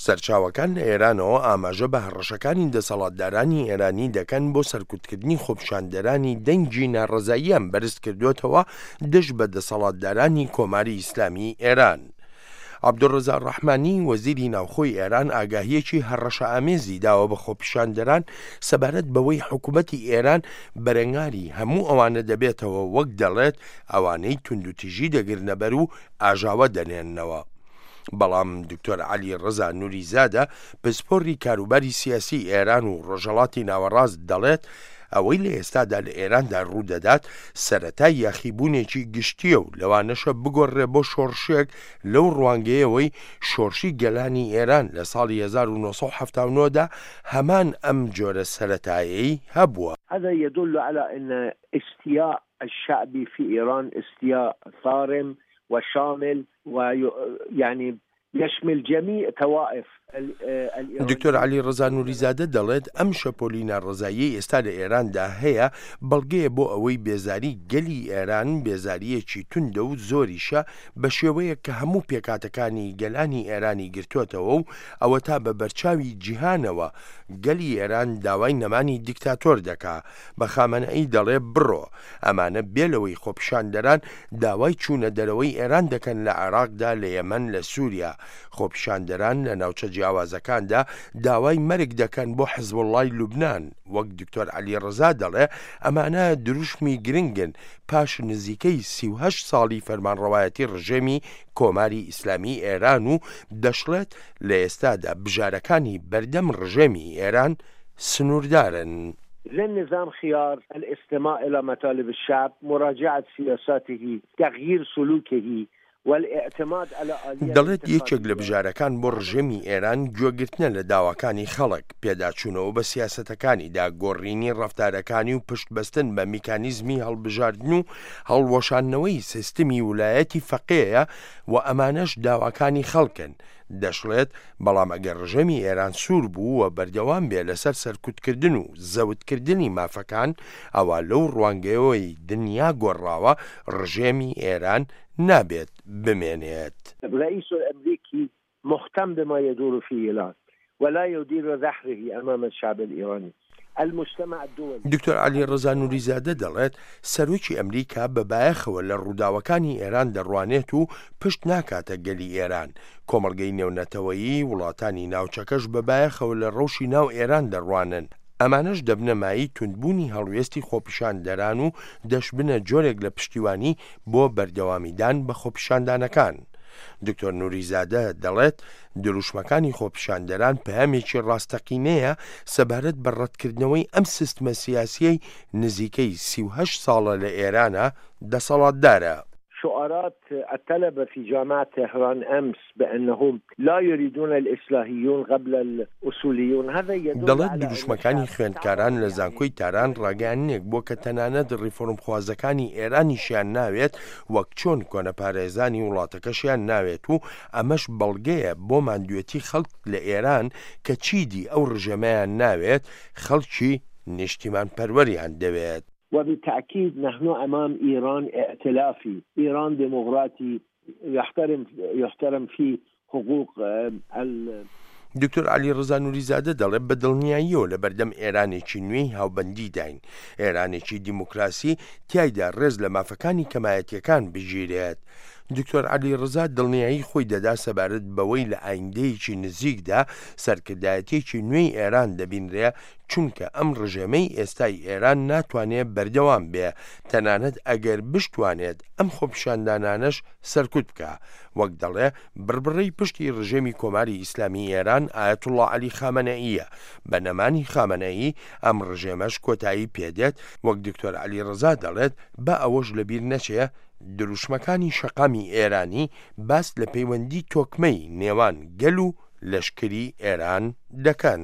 سەرچاوەکان لە ئێرانەوە ئاماژە بە هەڕەشەکانی دەسەڵاتدارانی ئێرانی دەکەن بۆ سەرکوتکردنی خۆپیشاندەرانی دەنگی ناڕەزاییان بەرزکردووەتەوە دژ بە دەسەڵاتدارانی کۆماری ئیسلامیی ئێران. عەبدولڕەزا ڕەحمانی، وەزیری ناوخۆی ئێران ئاگاهییەکی هەڕەشەئامێزی داوە بە خۆپیشاندەران سەبارەت بەوەی حکومەتی ئێران بەرەنگاری هەموو ئەوانە دەبێتەوە وەک دەڵێت ئەوانەی توندوتیژی دەگرنەبەر و ئاژاوە دەنێنەوە. بەڵام دکتۆر عەلی ڕەزا نوریزادە پسپۆڕی کاروباری سیاسی ئێران و ڕۆژهەڵاتی ناوەڕاست دەڵێت ئەوەی لە ئێستادا لە ئێراندا ڕوودەدات سەرەتای یاخیبوونێکی گشتییە و لەوانەشە بگۆڕرێ بۆ شۆڕشێک لەو ڕوانگەیەوەی شۆڕشی گەلانی ئێران لە ساڵی 1979 دا هەمان ئەم جۆرە سەرەتایەی هەبووە. هذا يدل على ان استياء الشعب في ايران استياء صارم وشامل ويعني يشمل جميع طوائف دکتۆر عەلی ڕەزا نوریزادە دەڵێت، ئەم شەپۆلی ناڕەزاییەی ئێستا لە ئێراندا هەیە، بەڵگەیە بۆ ئەوەی بێزاری گەلی ئێران بێزارییەکی توندە و زۆریشە بە شێوەیەک کە هەموو پێکهاتەکانی گەلانی ئێرانی گرتۆتەوە و ئەوەتا بە بەرچاوی جیهانەوە گەلی ئێران داوای نەمانی دیکتاتۆر دەکا بە خامەنەئی دەڵێ بڕۆ ئەمانە بێ لەوەی خۆپیشاندەران داوای چوونە دەرەوەی ئێران دەکەن لە عێراقدا، لە یەمەن، لە سووریا. خۆپیشاندەران لە ناوچە جیاوازەکاندا داوای مەرگ دەکەن بۆ حزبوڵڵای لوبنان. وەک دکتۆر عەلی ڕەزا دەڵێ ئەمانە دروشمی گرنگن پاش نزیکەی 38 ساڵی فەرمانڕەوایەتی ڕژێمی کۆماری ئیسلامی ئێران و دەشڵێت لە ئێستادا بژارەکانی بەردەم ڕژێمی ئێران سنووردارن. للنظام خيار الاستماع الى مطالب الشعب، مراجعة سياساته، تغيير سلوكه والاعتماد على آلية دەڵێت یەکێک لە انتخابية. بژارەکان بۆ ڕژێمی ئێران گوێگرتنە لە داواکانی خەڵک، پێداچوونەوە بە سیاسەتەکانیدا، گۆڕینی ڕەفتارەکانی و پشتبەستن بە میکانیزمی هەڵبژاردن و هەڵوەشاندنەوەی سیستمی ولایەتی فەقێیە و ئەمانەش داواکانی خەڵکن. دەشڵێت، بەڵام ئەگەر ڕژێمی ئێران سوور بوو و بەردەوام بێ لەسەر سەرکوتکردن و زەوتکردنی مافەکان، ئەوا لەو ڕوانگەیەوەی دنیا گۆڕاوە، ڕژێمی ئێران نابێت بمێنێت. الرئیس الامریکی مهتم بما یدور فی ایران ولا یدیر ظهره امام الشعب الایرانی المجتمع الدولی. دکتۆر عەلی ڕەزا نوریزادە دەڵێت، سەرۆکی ئەمریکا بە بایەخەوە لە ڕووداوەکانی ئێران دەڕوانێت و پشت ناکاتە گەلی ئێران، کۆمەڵگەی نێونەتەوەیی، وڵاتانی ناوچەکەش بە بایەخەوە لە ڕەوشی ناو ئێران دەڕوانن، ئەمانەش دەبنە مایەی توندبوونی هەڵوێستی خۆپیشاندەران و دەشبنە جۆرێک لە پشتیوانی بۆ بەردەوامیدان بە خۆپیشاندانەکان. دکتۆر نوریزادە دەڵێت، دروشمەکانی خۆپیشاندەران پەیامێکی ڕاستەقینەیە سەبارەت بە ڕەتکردنەوەی ئەم سیستمە سیاسییەی نزیکەی 38 ساڵە لە ئێرانە دەسەڵاتدارە. شعارات الطلبة في جامعة تهران أمس بأنهم لا يريدون الإصلاحيون قبل الأصوليون هذا يدل دەڵێت على أن دروشمەکانی الشعب خوێندکاران تعب لە يعني زانکۆی تاران ڕاگەیاندنێک بووە کە تەنانەت ڕیفۆرمخوازەکانی ئێرانیشیان ناوێت وەک چۆن کۆنەپارێزانی وڵاتەکەشیان ناوێت و ئەمەش بەڵگەیە بۆ ماندوێتی خەڵک لە ئێران کە چیدی ئەو ڕژێمەیان ناوێت، خەڵکی نیشتیمانپەروەریان دەوێت. وبالتأكيد نحن أمام إيران ائتلافي إيران ديمقراطي يحترم يحترم فيه حقوق ال. دکتۆر عەلی ڕەزا نوریزادە دەڵێ بە دڵنیاییەوە لەبەردەم ئێرانێکی نوێی هاوبەندیداین، ئێرانێکی دیموکراسی تیایدا ڕێز لە مافەکانی کەمایەتییەکان بگیرێت. دکتۆر عەلی ڕەزا دڵنیایی خۆی دەدا سەبارەت بەوەی لە ئایندەیەکی نزیکدا سەرکردایەتییەکی نوێی ئێران دەبینرێ چونکە ئەم ڕژێمەی ئێستای ئێران ناتوانێ بەردەوام بێ تەنانەت ئەگەر بشتوانێت ئەم خۆپیشاندانانەش سەرکوت بکا وەک دەڵێ بڕبڕەی پشتی ڕژێمی کۆماری ئیسلامی ئێران ئایەتوڵڵا عەلی خامەنەئییە بە نەمانی خامەنەئی ئەم ڕژێمەش کۆتایی پێدێت وەک دکتۆر عەلی ڕەزا دەڵێت با ئەوەش لەبیر نەچێ دروشمەکانی شەقامی ئێرانی باس لە پەیوەندی تۆکمەی نێوان گەل و لەشکری ئێران دەکەن.